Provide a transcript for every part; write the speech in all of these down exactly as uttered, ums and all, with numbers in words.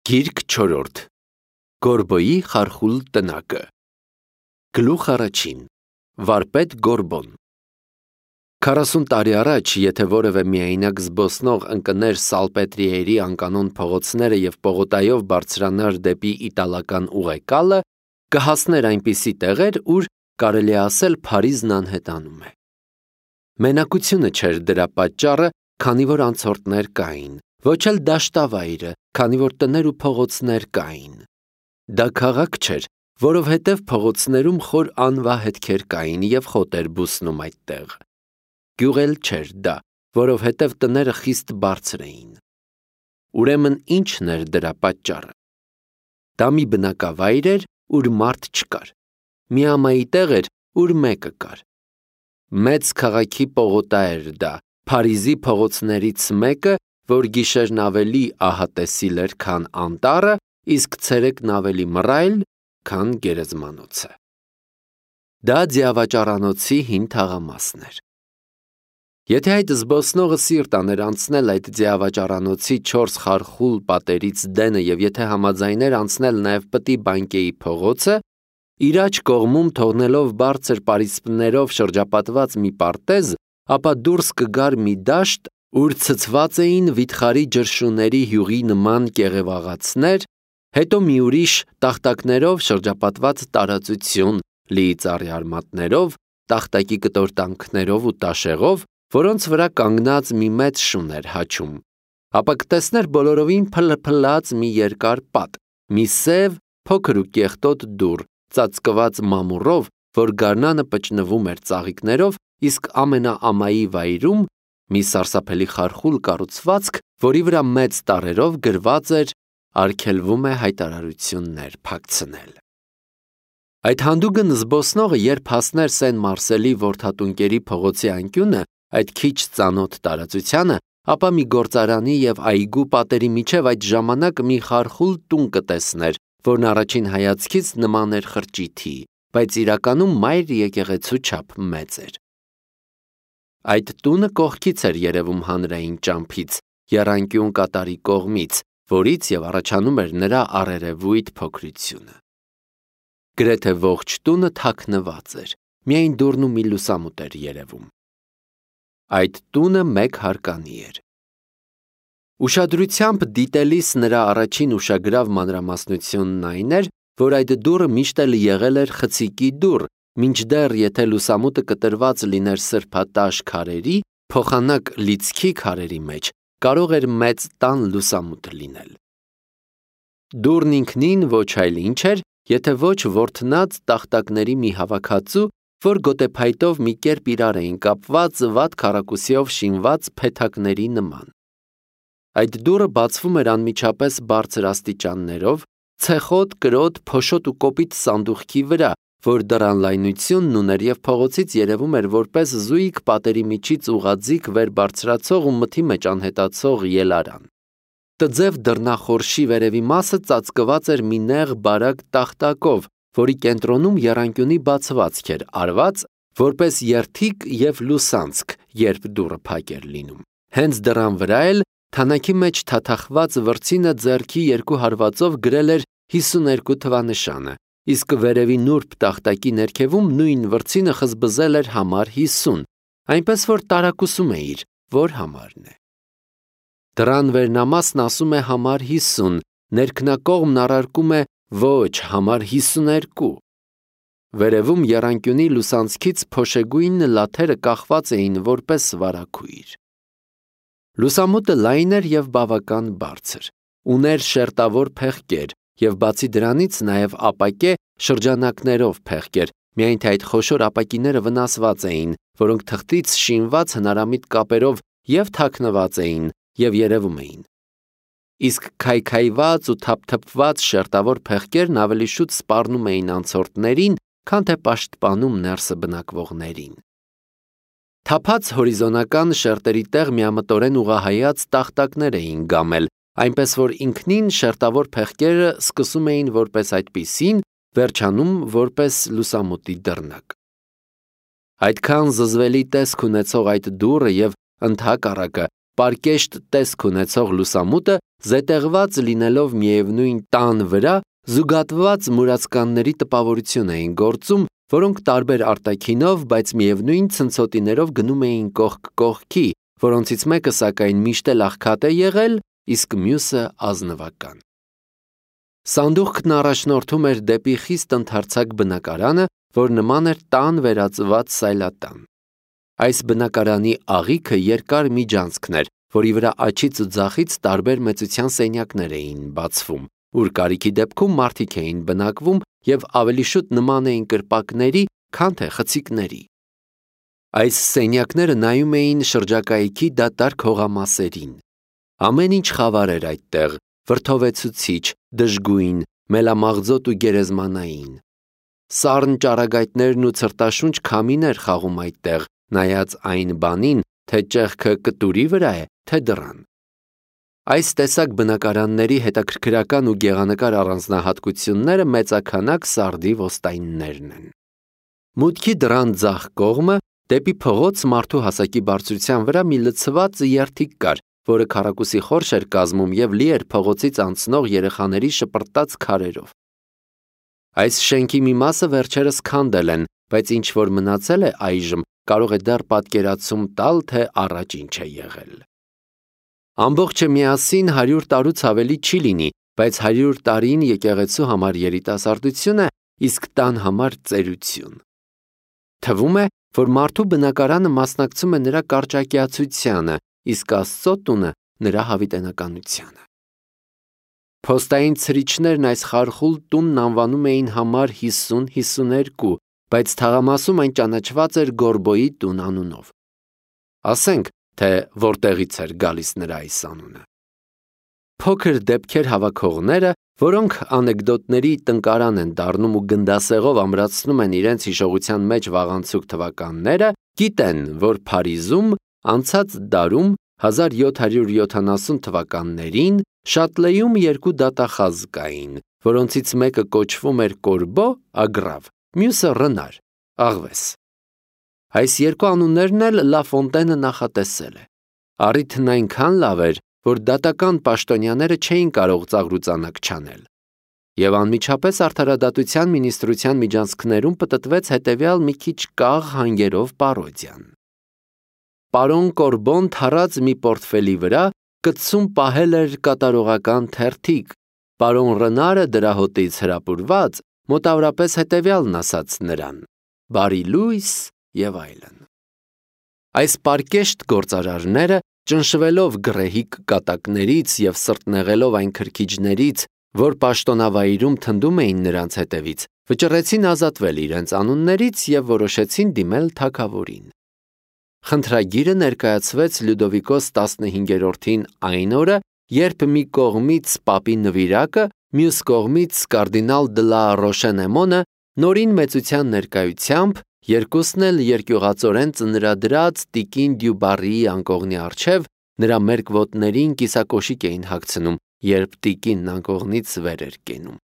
Գիրք չորրորդ Գորբոյի խարխուլ տնակը Գլուխ առաջին Վարպետ Գորբոն Քառասուն տարի առաջ, եթե որևէ միայնակ զբոսնող ընկներ Սալպետրիերի անկանոն փողոցները և պողոտայով բարձրանար դեպի իտալական ուղեկալը, կհասներ այնպիսի տեղեր, ուր կարելի է ասել Փարիզն անհետանում է։ Մենակությունը չէր դրա պատճառը, քանի որ անցորդներ կային, ոչ էլ դաշտավայրը, քանի որ տներ ու փողոցներ կային։ Դա քաղաք չէր, որովհետև փողոցներում խոր անվահետքեր կային և խոտ էր բուսնում այդտեղ։ Գյուղ էլ չէր դա, որովհետև տները խիստ բարձր էին։ Ուրեմն ի՞նչն էր դրա պատճառը։ Դա մի բնակավայր էր, ուր մարդ չկար, մի ամայի տեղ էր, ուր մեկը կար։ Մեծ քաղաքի պողոտա էր դա, Փարիզի փողոցներից մեկը, որ գիշերն ավելի ահատեսիլ էր, քան անտառը, իսկ ցերեկն ավելի մռայլ, քան գերեզմանոցը։ Դա ձիավաճառանոցի հին թաղամասն էր։ Եթե այդ զբոսնողը սիրտ աներ անցնել այդ ձիավաճառանոցի չորս խարխուլ պատերից դենը և եթե համաձայներ անցնել նաև Պտի Բանկեի փողոցը, իր աջ կողմում թողնելով բարձր պարիսպներով շրջապատված մի պարտեզ, ապա դուրս կգար մի դաշտ, ուր ցցված էին վիթխարի ջրշուների հյուրի նման կեղևաղացներ, հետո մի ուրիշ տախտակներով շրջապատված տարածություն, լի ծառի արմատներով, տախտակի կտորտանքներով ու տաշեղով, որոնց վրա կանգնած մի մեծ շուն էր հաչում, ապա կտեսներ բոլորովին փլփլած մի երկար պատ, մի սև, փոքր ու կեղտոտ դուռ, ծածկված մամուռով, որ գարնանը պճնվում էր ծաղիկներով, իսկ ամենաամայի վայրում մի սարսափելի խարխուլ կառուցվածք, որի վրա մեծ տառերով գրված էր «Արգելվում է հայտարարություններ փակցնել»։ Այդ հանդուգն զբոսնողը, երբ հասներ Սեն Մարսելի որդատունկերի փողոցի անկյունը, այդ քիչ ծանոթ տարածությանը, ապա մի գործարանի և այգու պատերի միջև այդ ժամանակ մի խարխուլ տուն կտեսներ, որն առաջին հայացքից նման էր խրճիթի, բայց իրականում մայր եկեղեցու չափ մեծ էր։ Այդ տունը կողքից էր երևում հանրային ճամփից, եռանկյուն կատարի կողմից, որից և առաջանում էր նրա առերևույթ փոքրությունը։ Գրեթե ողջ տունը թաքնված էր, միայն դուռն ու մի լուսամուտ էր երևում։ Այդ տունը մեկ հարկանի էր։ Ուշադրությամբ դիտելիս նրա առաջին ուշագրավ մանրամասնությունն այն էր, որ այդ դուռը միշտ էլ եղել էր խցիկի դուռ, մինչդեռ եթե լուսամուտը կտրված լիներ սրբատաշ քարերի, փոխանակ լիցքի քարերի մեջ, կարող էր մեծ տան լուսամուտ լինել։ Դուռն ինքնին ոչ այլ ինչ էր, եթե ոչ ворթնած տախտակների մի հավաքածու, որ գոտեփայտով մի կերպ իրար էին կապված վատ քառակուսիով շինված փեթակների նման։ Այդ դուռը բացվում էր անմիջապես բարձր աստիճաններով, ցեխոտ, կրոտ, փոշոտ ու կոպիտ սանդուղքի վրա, որ դռան լայնությունն ուներ և փողոցից երևում էր որպես զույգ պատերի միջից ուղղաձիգ վեր բարձրացող ու մթի մեջ անհետացող ելարան։ Տձև դռնախորշի վերևի մասը ծածկված էր մի նեղ բարակ տախտակով, որի կենտրոնում եռանկյունի բացվածք էր արված, որպես երդիկ և լուսանցք, երբ դուռը փակ էր լինում։ Հենց դռան վրա էլ թանաքի մեջ թաթախված վրձինը ձեռքի երկու հարվածով գրել էր հիսուներկու թվանշանը, իսկ վերևի նուրբ տախտակի ներքևում նույն վրձինը խզբզել էր համար հիսուն, այնպես որ տարակուսում էիր, որ համարն է։ Դռան վերնամասն ասում է համար հիսուն, ներքնակողմն առարկում է ոչ համար հիսուներկու։ Վերևում եռանկյունի լուսանցքից փոշեգույն լաթերը կախված էին որպես վարագույր։ Լուսամուտը լայն էր և բավական բարձր, ուներ շերտավոր փեղկեր և բացի դրանից նաև ապակե շրջանակներով փեղկեր, միայն թե այդ խոշոր ապակիները վնասված էին, որոնք թղթից շինված հնարամիտ կապերով և թաքնված էին և երևում էին։ Իսկ քայքայված ու թափթփված շերտավոր փեղկերն ավելի շուտ սպառնում էին անցորդներին, քան թե պաշտպանում ներսը բնակվողներին։ Թափած հորիզոնական շերտերի տեղ միամտորեն ուղղահայաց տախտակներ էին գամել, այնպես որ ինքնին շերտավոր փեղկերը սկսում էին որպես այդպիսին, վերջանում որպես լուսամուտի դռնակ։ Այդքան զզվելի տեսք ունեցող այդ դուռը և ընդհակառակը պարկեշտ տեսք ունեցող լուսամուտը զետեղված լինելով միևնույն տան վրա զուգատված մուրացկանների տպավորություն էին գործում, որոնք տարբեր արտաքինով, բայց միևնույն ցնցոտիներով գնում էին կողք կողքի, որոնցից մեկը սակայն միշտ էլ աղքատ է եղել, իսկ մյուսը ազնվական։ Սանդուղքն առաջնորդում էր դեպի խիստ ընդարձակ բնակարանը, որ նման էր տան վերածված սայլատան։ Այս բնակարանի աղիքը երկար միջանցքն էր, որի վրա աջից ու ձախից տարբեր մեծության սենյակներ էին բացվում, ուր կարիքի դեպքում մարդիկ էին բնակվում և ավելի շուտ նման էին կրպակների, քան թե խցիկների։ Այս սենյակները նայում էին շրջակայքի դատարկ հողամասերին։ Ամեն ինչ խավար էր այդտեղ, վրդովեցուցիչ, դժգույն, մելամաղձոտ ու գերեզմանային։ Սառն ճառագայթներն ու ցրտաշունչ քամին էր խաղում այդտեղ, նայած այն բանին, թե ճեղքը կտուրի վրա է, թե դռան։ Այս տեսակ բնակարանների հետաքրքրական ու գեղանկար առանձնահատկությունները մեծաքանակ սարդի ոստայններն են։ Մուտքի դռան ձախ կողմը դեպի փողոց մարդու հասակի բարձրության վրա մի լցված երթիկ կար, որը քառակուսի խորշ էր կազմում և լի էր փողոցից անցնող երեխաների շպրտած քարերով։ Այս շենքի մի մասը վերջերս քանդել են, բայց ինչ որ մնացել է այժմ, կարող է դեռ պատկերացում տալ, թե առաջ ինչ է եղել։ Ամբողջը միասին հարյուր տարուց ավելի չի լինի, բայց հարյուր տարին եկեղեցու համար երիտասարդություն է, իսկ տան համար ծերություն։ Թվում է, որ մարդու բնակարանը մասնակցում է նրա կարճակյացությանը, իսկ Աստծո տունը նրա հավիտենականությանը։ Փոստային ցրիչներն այս խարխուլ տունն անվանում էին համար հիսուն հիսուներկու, բայց թաղամասում այն ճանաչված էր Գորբոյի տուն անունով։ Ասենք, թե որտեղից էր գալիս նրա այս անունը։ Փոքր դեպքեր հավաքողները, որոնք անեկդոտների տնկարան են դառնում ու գնդասեղով ամրացնում են իրենց հիշողության մեջ վաղանցուկ թվականները, գիտեն, որ Փարիզում անցած դարում հազար յոթ հարյուր յոթանասուն թվականներին Շատլեում երկու դատախազ կային, որոնցից մեկը կոչվում էր Կորբո, ագրավ, մյուսը Ռնար, աղվես։ Այս երկու անուններն էլ Լա Ֆոնտենը նախատեսել է։ Առիթն այնքան լավ էր, որ դատական պաշտոնյաները չէին կարող ծաղրուծանակ չանել։ Եվ անմիջապես արդարադատության մինիստրության միջանցքներում պտտվեց հետևյալ մի քիչ կաղ հանգերով պարոդիան։ Պարոն Կորբոն թառած մի պորտֆելի վրա կցում պահել էր կատարողական թերթիկ, պարոն Ռնարը դրա հոտից հրապուրված մոտավորապես հետևյալն ասաց նրան. բարի լույս և այլն։ Այս պարկեշտ գործարարները, ճնշվելով գռեհիկ կատակներից և սրտնեղելով այն քրքիջներից, որ պաշտոնավայրում թնդում էին նրանց հետևից, վճռեցին ազատվել իրենց անուններից և որոշեցին դիմել թագավորին։ Խնդրագիրը ներկայացվեց Լյուդովիկոս տասնհինգերորդին այն օրը, երբ մի կողմից պապի նվիրակը, մյուս կողմից կարդինալ դը լա Ռոշենեմոնը նորին մեծության ներկայությամբ, երկուսն էլ երկյուղածորեն ծնրադրած տիկին Դյուբարիի անկողնի առջև նրա մերկ ոտներին կիսակոշիկ էին հագցնում, երբ տիկինն անկողնից վեր էր կենում։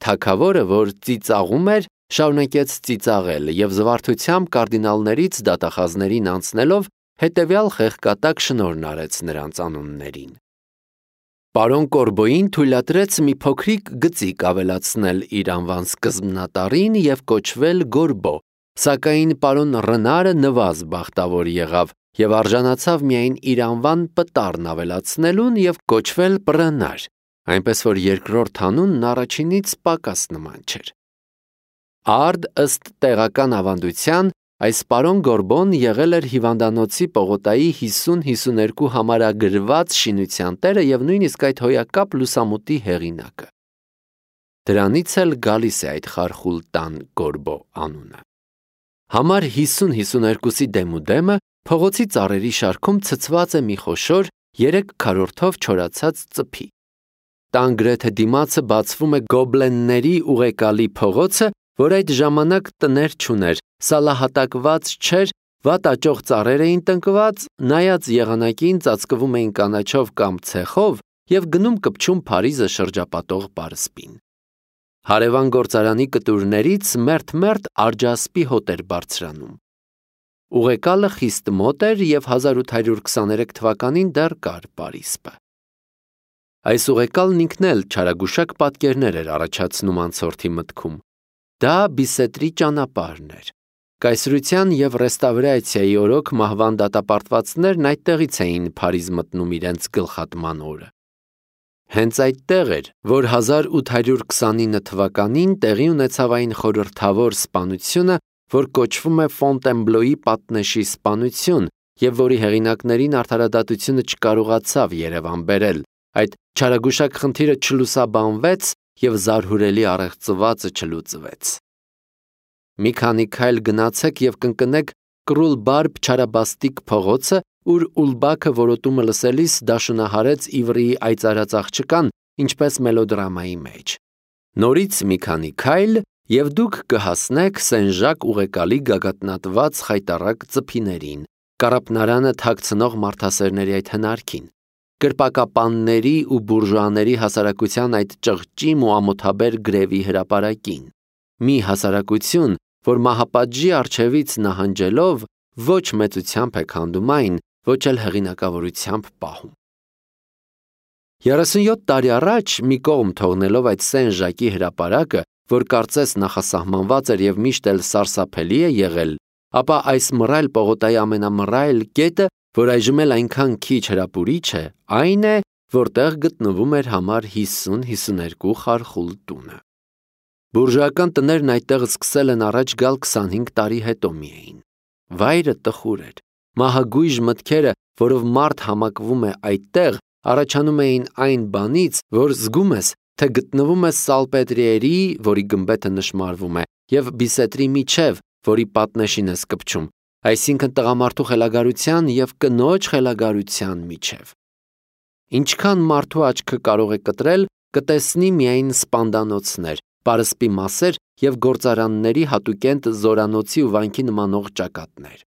Թագավորը, որ ծիծաղում էր, շարունակեց ծիծաղել և զվարթությամբ կարդինալներից դատախազներին անցնելով հետևյալ խեղկատակ շնորհն արեց նրանց անուններին։ Պարոն Կորբոյին թույլատրեց մի փոքրիկ գծիկ ավելացնել իր անվան սկզբնատառին և կոչվել Գորբո, սակայն պարոն Ռնարը նվազ բախտավոր եղավ և արժանացավ միայն իր անվան պտառն ավելացնելուն և կոչվել Պռնար, այնպես որ երկրորդ անունն առաջինից պակաս նման չէր։ Արդ ըստ տեղական ավանդության, այս պարոն Գորբոն եղել էր հիվանդանոցի Պողոտայի հիսուն հիսուներկու համարագրված շինության տերը և նույնիսկ այդ հոյակապ լուսամուտի հեղինակը։ Դրանից էլ գալիս է այդ խարխուլ տան Գորբո անունը։ Համար հիսուն հիսուներկուսի դեմուդեմը փողոցի ծառերի շարքում ցցված է մի խոշոր երեք քառորդով չորացած ծփի։ Տան գրեթե դիմացը բացվում է գոբլենների ուղեկալի փողոցը, որ այդ ժամանակ տներ չուներ, սալահատակված չէր, վատ աճող ծառեր էին տնկված, նայած եղանակին ծածկվում էին կանաչով կամ ցեխով և գնում կպչում Փարիզը շրջապատող պարսպին։ Հարևան գործարանի կտուրներից մերթ-մերթ արջասպի հոտ էր բարձրանում։ Ուղեկալը խիստ մոտ էր և հազար ութ հարյուր քսաներեք թվականին դեռ կար պարիսպը։ Այս ուղեկալն ինքն էլ չարագուշակ պատկերներ էր առաջացնում անցորդի մտքում։ Դա Բիսետրի ճանապարհն էր։ Կայսրության և ռեստավրացիայի օրոք մահվան դատապարտվածներն այդտեղից էին Փարիզ մտնում իրենց գլխատման օրը։ Հենց այդտեղ էր, որ հազար ութ հարյուր քսանինը թվականին տեղի ունեցավ այն խորհրդավոր սպանությունը, որ կոչվում է Ֆոնտենբլոյի պատնեշի սպանություն և որի հեղինակներին արդարադատությունը չկարողացավ երևան բերել, այդ չարագուշակ խնդիրը չլուսաբանվեց և զարհուրելի առեղծվածը չլուծվեց։ Մի քանի քայլ գնացեք և կընկնեք Կռուլ-Բարբ չարաբաստիկ փողոցը, ուր Ուլբաքը որոտումը լսելիս դաշնահարեց Իվրիի այծարած աղջկան, ինչպես մելոդրամայի մեջ։ Նորից մի քանի քայլ, և դուք կհասնեք Սեն-Ժակ ուղեկալի գագաթնատված խայտառակ ծփիներին, կառապնարանը թաքցնող մարդասերների այդ հնարքին, կրպակապանների ու բուրժուաների հասարակության այդ ճղճիմ ու ամոթաբեր գրևի հրապարակին։ Մի հասարակություն, որ մահապատժի առջևից նահանջելով ոչ մեծությամբ է քանդում այն, ոչ էլ հեղինակավորությամբ պահում։ Երեսունյոթ տարի առաջ, մի կողմ թողնելով այդ Սեն-Ժակի հրապարակը, որ կարծես նախասահմանված էր և միշտ էլ սարսափելի է եղել, ապա այս մռայլ պողոտայի ամենամռայլ կետը, որ այժմ էլ այնքան քիչ հրապուրիչ է, այն է, որտեղ գտնվում էր համար հիսուն հիսուներկու խարխուլ տունը։ Բուրժուական տներն այդտեղ սկսել են առաջ գալ քսանհինգ տարի հետո միայն։ Վայրը տխուր էր։ Մահագույժ մտքերը, որով մարդ համակվում է այդտեղ, առաջանում էին այն բանից, որ զգում ես, թե գտնվում ես Սալպետրիերի, որի գմբեթը նշմարվում է, և Բիսետրի միջև, որի պատնեշին ես կպչում, այսինքն տղամարդու խելագարության և կնոջ խելագարության միջև։ Ինչքան մարդու աչքը կարող է կտրել, կտեսնի միայն սպանդանոցներ, պարսպի մասեր և գործարանների հատուկենտ զորանոցի ու վանքի նմանող ճակատներ,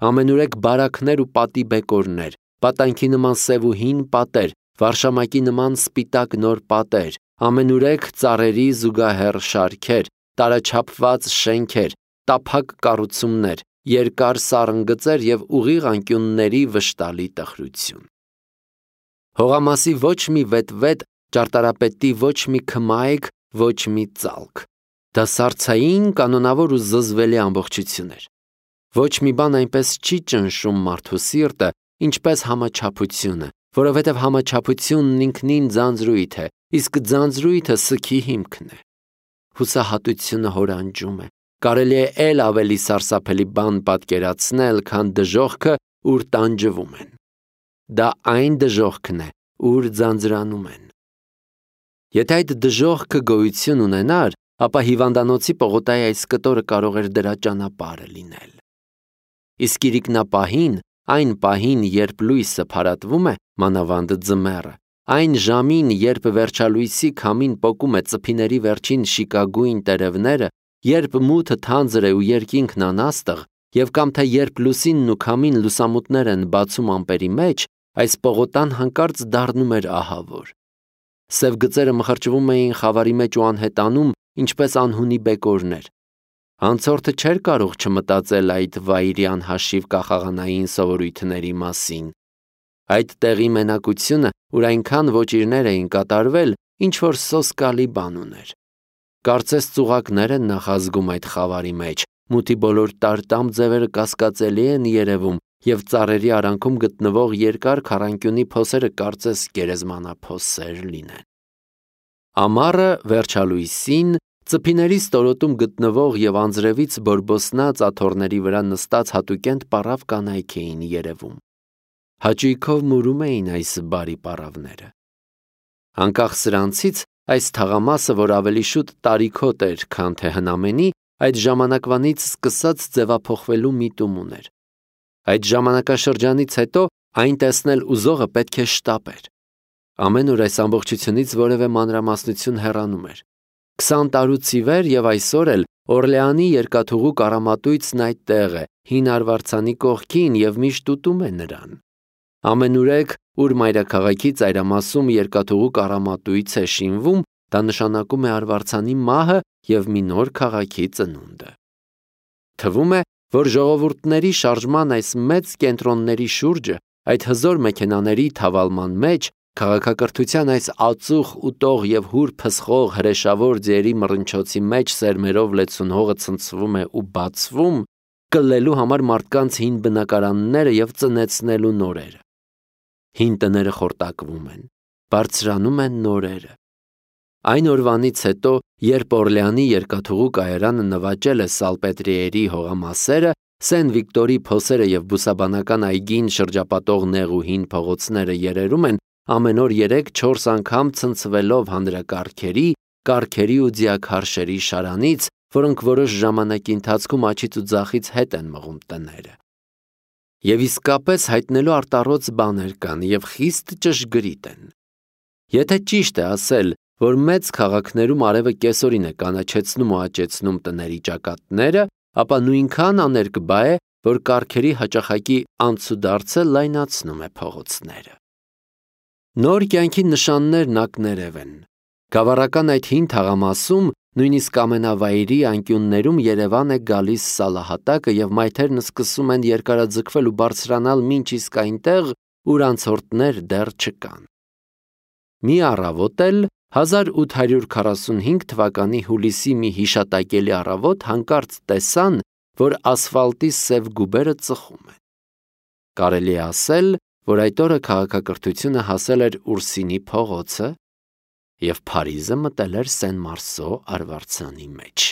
ամենուրեք բարաքներ ու պատի բեկորներ, պատանքի նման սև ու հին պատեր, վարշամակի նման սպիտակ նոր պատեր, ամենուրեք ծառերի զուգահեռ շարքեր, տարաչափված շենքեր, տափակ կառուցումներ, երկար սառնգծեր և ուղիղ անկյունների վշտալի տխրություն։ Հողամասի ոչ մի վետվետ, ճարտարապետի ոչ մի քմայք, ոչ մի ծալք։ Դա սառցային, կանոնավոր ու զզվելի ամբողջություն էր։ Ոչ մի բան այնպես չի ճնշում մարդու սիրտը, ինչպես համաչափությունը, որովհետև համաչափությունն ինքնին ձանձրույթ է, իսկ ձանձրույթը սգի հիմքն է։ Հուսահատությունը հորանջում է։ Կարելի է էլ ավելի սարսափելի բան պատկերացնել, քան դժոխքը, ուր տանջվում են։ Դա այն դժոխքն է, ուր ձանձրանում են։ Եթե այդ դժոխքը գոյություն ունենար, ապա հիվանդանոցի պողոտայի այս կտորը կարող էր դրա ճանապարհը լինել։ Իսկ իրիկնապահին, այն պահին, երբ լույսը փարատվում է, մանավանդ ձմեռը, այն ժամին, երբ վերջալույսի քամին պոկում է ծփիների վերջին շիկագույն տերևները, երբ մութը թանձր է ու երկինքն անաստղ, և կամ թե երբ լուսինն ու քամին լուսամուտներ են բացում ամպերի մեջ, այս պողոտան հանկարծ դառնում էր ահավոր։ Սև գծերը մխրճվում էին խավարի մեջ ու անհետանում, ինչպես անհունի բեկորներ։ Անցորդը չէր կարող չմտածել այդ վայրի անհաշիվ կախաղանային սովորույթների մասին։ Այդ տեղի մենակությունը, ուր այնքան ոճիրներ էին կատարվել, ինչ-որ սոսկալի բան ուներ։ Կարծես ծուղակներ են նախազգում այդ խավարի մեջ, մութի բոլոր տարտամ ձևերը կասկածելի են երևում, և ծառերի արանքում գտնվող երկար քառանկյունի փոսերը կարծես գերեզմանափոսեր լինեն։ Ամառը վերջալույսին, ծփիների ստորոտում գտնվող և անձրևից բորբոսնած աթոռների վրա նստած հատուկենտ պառավ կանայք էին երևում։ Հաճույքով մուրում էին այս բարի պառավները։ Անկախ սրանցից, այս թաղամասը, որ ավելի շուտ տարիքոտ էր, քան թե հնամենի, այդ ժամանակվանից սկսած ձևափոխվելու միտում ուներ։ Այդ ժամանակաշրջանից հետո այն տեսնել ուզողը պետք է շտապեր։ Ամեն օր այս ամբողջությունից որևէ մանրամասնություն հեռանում էր։ Քսան տարուց ի վեր և այսօր էլ Օրլեանի երկաթուղու կառամատույցն այդտեղ է, հին արվարձանի կողքին, և միշտ ուտում է նրան։ Ամենուրեք, ուր մայրաքաղաքի ծայրամասում երկաթուղու կառամատույց է շինվում, դա նշանակում է արվարձանի մահը և մի նոր քաղաքի ծնունդը։ Թվում է, որ ժողովուրդների շարժման այս մեծ կենտրոնների շուրջը, այդ հզոր մեքենաների թավալման մեջ, քաղաքակրթության այս ածուխ ուտող և հուր փսխող հրեշավոր ձիերի մռնչոցի մեջ սերմերով լեցուն հողը ցնցվում է ու բացվում, կլելու համար մարդկանց հին բնակարանները և ծնեցնելու նորերը։ Հին տները խորտակվում են, բարձրանում են նորերը։ Այն օրվանից հետո, երբ Օրլեանի երկաթուղու կայարանը նվաճել է Սալպետրիերի հողամասերը, Սեն Վիկտորի փոսերը և բուսաբանական այգին շրջապատող նեղ ու հին փողոցները երերում են ամեն օր երեք-չորս անգամ ցնցվելով հանրակարգերի, կառքերի ու ձիաքարշերի շարանից, որոնք որոշ ժամանակի ընթացքում աջից ու ձախից հետ են մղում տները։ Եվ իսկապես հայտնելու արտառոց բաներ կան և խիստ ճշգրիտ են։ Եթե ճիշտ է ասել, որ մեծ քաղաքներում արևը կեսօրին է կանաչեցնում ու աճեցնում տների ճակատները, ապա նույնքան աներկբա է, որ կառքերի հաճախակի անցուդարձը լայնացնում է փողոցները։ Նոր կյանքի նշաններն ակներև են։ Գավառական այդ հին թաղամասում, նույնիսկ ամենավայրի անկյուններում Երևան է գալիս սալահատակը և մայթերն սկսում են երկարաձգվել ու բարձրանալ մինչ իսկ այնտեղ, ուր անցորդներ դեռ չկան։ Մի առավոտ էլ, հազար ութ հարյուր քառասունհինգ թվականի հուլիսի մի հիշատակելի առավոտ հանկարծ տեսան, որ ասֆալտի սև գուբերը ծխում են։ Կարելի է ասել, որ այդ օրը քաղաքակրթությունը հասել էր Ուրսինի փողոցը և Փարիզը մտել էր Սեն Մարսո արվարձանի մեջ։